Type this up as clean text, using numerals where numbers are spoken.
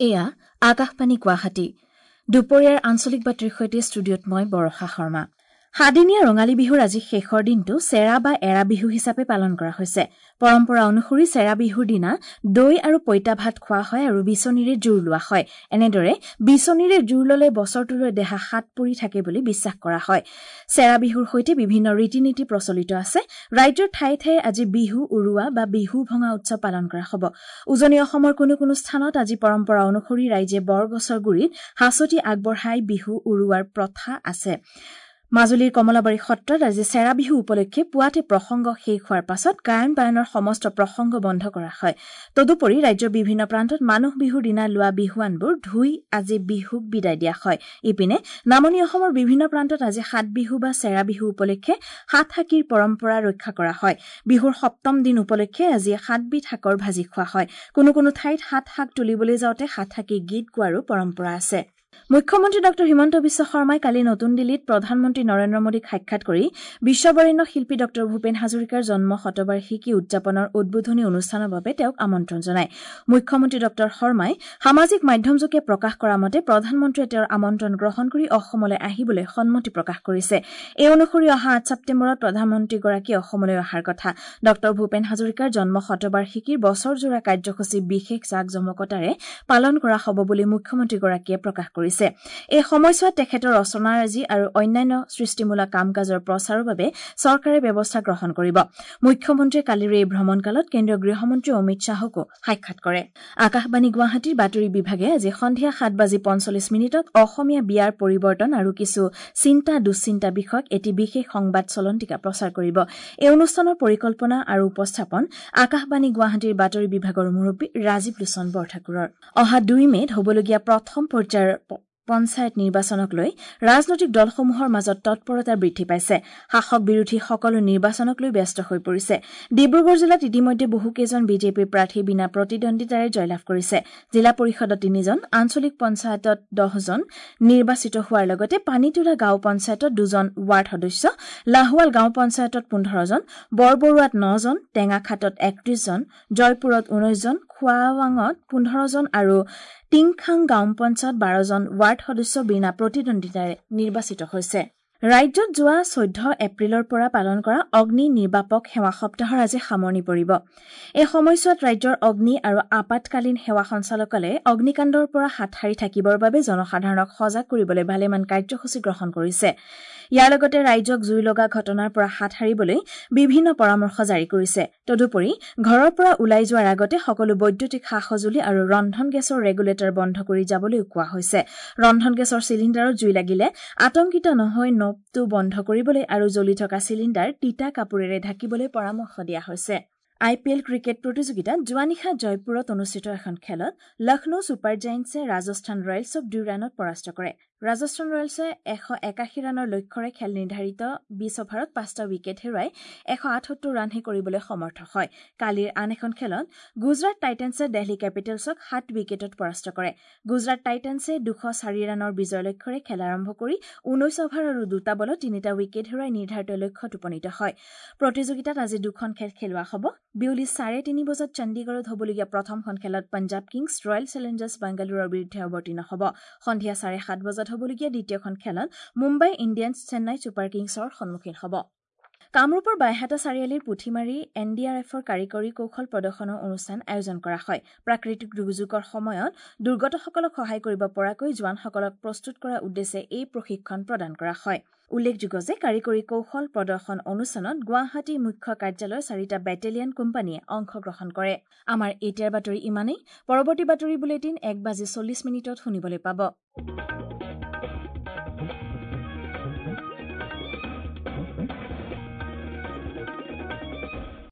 এয়া আকাশবাণী গুৱাহাটী। দুপৰীয়াৰ আঞ্চলিক বাতৰিৰ সৈতে ষ্টুডিঅ'ত মই বৰষা শৰ্মা। সাদিনীয়া ৰঙালী বিহুৰ আজি শেষৰ দিনটো চেৰা বা এৰা বিহু হিচাপে পালন কৰা হৈছে। পৰম্পৰা অনুসৰি চেৰা বিহুৰ দিনা দৈ আৰু পইতা ভাত খোৱা হয় আৰু বিচনীৰে জোৰ লোৱা হয়। এনেদৰে বিচনীৰে জোৰ ললে বছৰটোলৈ দেহা সাত পৰি থাকে বুলি বিশ্বাস কৰা হয়। চেৰা বিহুৰ সৈতে বিভিন্ন ৰীতি নীতি প্ৰচলিত আছে। ৰাজ্যৰ ঠায়ে ঠায়ে আজি বিহু উৰুৱা বা বিহু ভঙা উৎসৱ পালন কৰা হ'ব। উজনি অসমৰ কোনো কোনো স্থানত আজি পৰম্পৰা অনুসৰি ৰাইজে বৰগছৰ গুৰিত হাঁচতি আগবঢ়াই বিহু উৰুৱাৰ প্ৰথা আছে। মাজুলীৰ কমলাবাৰী সত্ৰত আজি চেৰা বিহু উপলক্ষে পুৱাতে প্ৰসংগ শেষ হোৱাৰ পাছত গায়ন বায়নৰ সমস্ত প্ৰসংগ বন্ধ কৰা হয়। তদুপৰি ৰাজ্যৰ বিভিন্ন প্ৰান্তত মানুহ বিহুৰ দিনা লোৱা বিহুৱানবোৰ ধুই আজি বিহুক বিদায় দিয়া হয়। ইপিনে নামনি অসমৰ বিভিন্ন প্ৰান্তত আজি সাত বিহু বা চেৰা বিহু উপলক্ষে সাত শাকীৰ পৰম্পৰা ৰক্ষা কৰা হয়। বিহুৰ সপ্তম দিন উপলক্ষে আজি সাতবিধ শাকৰ ভাজি খোৱা হয়। কোনো কোনো ঠাইত সাত শাক তুলিবলৈ যাওঁতে সাত শাকী গীত গোৱাৰো পৰম্পৰা আছে। মুখ্যমন্ত্ৰী ডঃ হিমন্ত বিশ্ব শৰ্মাই কালি নতুন দিল্লীত প্ৰধানমন্ত্ৰী নৰেন্দ্ৰ মোদীক সাক্ষাৎ কৰি বিশ্ববৰেণ্য শিল্পী ডঃ ভূপেন হাজৰিকাৰ জন্ম শতবাৰ্ষিকী উদযাপনৰ উদ্বোধনী অনুষ্ঠানৰ বাবে তেওঁক আমন্ত্ৰণ জনায়। মুখ্যমন্ত্ৰী ডঃ শৰ্মাই সামাজিক মাধ্যমযোগে প্ৰকাশ কৰা মতে প্ৰধানমন্ত্ৰীয়ে তেওঁৰ আমন্ত্ৰণ গ্ৰহণ কৰি অসমলৈ আহিবলৈ সন্মতি প্ৰকাশ কৰিছে। এই অনুসৰি অহা ৮ ছেপ্টেম্বৰত প্ৰধানমন্ত্ৰীগৰাকী অসমলৈ অহাৰ কথা। ডঃ ভূপেন হাজৰিকাৰ জন্ম শতবাৰ্ষিকীৰ বছৰজোৰা কাৰ্যসূচী বিশেষ জাক-জমকতাৰে পালন কৰা হ'ব বুলি মুখ্যমন্ত্ৰীগৰাকীয়ে প্ৰকাশ কৰিছে। এই সময়ছোৱাত তেখেতৰ ৰচনাৰাজি আৰু অন্যান্য সৃষ্টিমূলক কাম কাজৰ প্ৰচাৰৰ বাবে চৰকাৰে ব্যৱস্থা গ্ৰহণ কৰিব। মুখ্যমন্ত্ৰীয়ে কালিৰ এই ভ্ৰমণকালত কেন্দ্ৰীয় গৃহমন্ত্ৰী অমিত শ্বাহকো সাক্ষাৎ কৰে। আকাশবাণী গুৱাহাটীৰ বাতৰি বিভাগে আজি সন্ধিয়া ৭:৪৫ অসমীয়া বিয়াৰ পৰিৱৰ্তন আৰু কিছু চিন্তা দুশ্চিন্তা বিষয়ক এটি বিশেষ সংবাদ চলন্তিকা প্ৰচাৰ কৰিব। এই অনুষ্ঠানৰ পৰিকল্পনা আৰু উপস্থাপন আকাশবাণী গুৱাহাটীৰ বাতৰি বিভাগৰ মুৰব্বী ৰাজীৱ লোচন বৰঠাকুৰৰ। অহা ২ মে'ত হ'বলগীয়া প্ৰথম পৰ্যায়ৰ পঞ্চায়ত নিৰ্বাচনক লৈ ৰাজনৈতিক দলসমূহৰ মাজত তৎপৰতা বৃদ্ধি পাইছে। শাসক বিৰোধী সকলো নিৰ্বাচনক লৈ ব্যস্ত হৈ পৰিছে। ডিব্ৰুগড় জিলাত ইতিমধ্যে বহুকেইজন বিজেপিৰ প্ৰাৰ্থী বিনা প্ৰতিদ্বন্দ্বিতাৰে জয়লাভ কৰিছে। জিলা পৰিষদত ৩জন, আঞ্চলিক পঞ্চায়তত ১০জন নিৰ্বাচিত হোৱাৰ লগতে পানীতোলা গাঁও পঞ্চায়তত ২জন ৱাৰ্ড সদস্য, লাহোৱাল গাঁও পঞ্চায়তত ১৫জন, বৰবৰুৱাত ৯জন, টেঙাখাটত ৩১জন, জয়পুৰত ১৯জন, খোৱাৱাঙত ১৫জন আৰু টিংখাং গাঁও পঞ্চায়ত ১২জন ৱাৰ্ড সদস্য বিনা প্ৰতিদ্বন্দ্বিতাৰে নিৰ্বাচিত হৈছে। ৰাজ্যত যোৱা ১৪ এপ্ৰিলৰ পৰা পালন কৰা অগ্নি নিৰ্বাপক সেৱা সপ্তাহৰ আজি সামৰণি পৰিব। এই সময়ছোৱাত ৰাজ্যৰ অগ্নি আৰু আপাতকালীন সেৱা সঞ্চালকালয়ে অগ্নিকাণ্ডৰ পৰা হাত সাৰি থাকিবৰ বাবে জনসাধাৰণক সজাগ কৰিবলৈ ভালেমান কাৰ্যসূচী গ্ৰহণ কৰিছে। ইয়াৰ লগতে ৰাইজক জুই লগা ঘটনাৰ পৰা হাত সাৰিবলৈ বিভিন্ন পৰামৰ্শ জাৰি কৰিছে। তদুপৰি ঘৰৰ পৰা ওলাই যোৱাৰ আগতে সকলো বৈদ্যুতিক সা সঁজুলি আৰু ৰন্ধন গেছৰ ৰেগুলেটৰ বন্ধ কৰি যাবলৈও কোৱা হৈছে। ৰন্ধন গেছৰ চিলিণ্ডাৰত জুই লাগিলে আতংকিত নহৈ নবটো বন্ধ কৰিবলৈ আৰু জ্বলি থকা চিলিণ্ডাৰ তিতা কাপোৰেৰে ঢাকিবলৈ পৰামৰ্শ দিয়া হৈছে। আই পি এল ক্ৰিকেট প্ৰতিযোগিতাত যোৱা নিশা জয়পুৰত অনুষ্ঠিত এখন খেলত লক্ষ্ণৌ ছুপাৰ জায়েণ্টছে ৰাজস্থান ৰয়েলছক ২ ৰানত পৰাস্ত কৰে। ৰাজস্থান ৰয়েলছে ১৮১ ৰানৰ লক্ষ্যৰে খেল নিৰ্ধাৰিত ২০ অভাৰত ৫টা উইকেট হেৰুৱাই ১৭৮ ৰানহে কৰিবলৈ সমৰ্থ হয়। কালিৰ আন এখন খেলত গুজৰাট টাইটেন্সে দেলহি কেপিটেলছক ৭ উইকেটত পৰাস্ত কৰে। গুজৰাট টাইটেন্সে ২০৪ ৰানৰ বিজয় লক্ষ্যৰে খেল আৰম্ভ কৰি ১৯ অভাৰ আৰু ২টা বলত ৩টা উইকেট হেৰুৱাই নিৰ্ধাৰিত লক্ষ্যত উপনীত হয়। প্ৰতিযোগিতাত আজি ২খন খেল খেলোৱা হ'ব। বিয়লি ৩:৩০ বজাত চণ্ডীগড়ত হ'বলগীয়া প্ৰথমখন খেলত পঞ্জাৱ কিংছ ৰয়েল চেলেঞ্জাৰ্ছ বাংগালোৰৰ বিৰুদ্ধে অৱতীৰ্ণ হ'ব। সন্ধিয়া ৭:৩০ বজাত হ'বলগীয়া দ্বিতীয়খন খেলত মুম্বাই ইণ্ডিয়ানছ চেন্নাই ছুপাৰ কিংছৰ সন্মুখীন হ'ব। কামৰূপৰ বাইহাটা চাৰিআলিৰ পুথিমাৰী এন ডি আৰ এফৰ কাৰিকৰী কৌশল প্ৰদৰ্শনৰ অনুষ্ঠান আয়োজন কৰা হয়। প্ৰাকৃতিক দুৰ্যোগৰ সময়ত দুৰ্গতসকলক সহায় কৰিব পৰাকৈ জোৱানসকলক প্ৰস্তুত কৰাৰ উদ্দেশ্যে এই প্ৰশিক্ষণ প্ৰদান কৰা হয়। উল্লেখযোগ্য যে কাৰিকৰী কৌশল প্ৰদৰ্শন অনুষ্ঠানত গুৱাহাটী মুখ্য কাৰ্যালয়ৰ ৪টা বেটেলিয়ন কোম্পানীয়ে অংশগ্ৰহণ কৰে। আমাৰ এতিয়াৰ বাতৰি ইমানেই। পৰৱৰ্তী বাতৰি বুলেটিন ১:৪০ শুনিবলৈ পাব।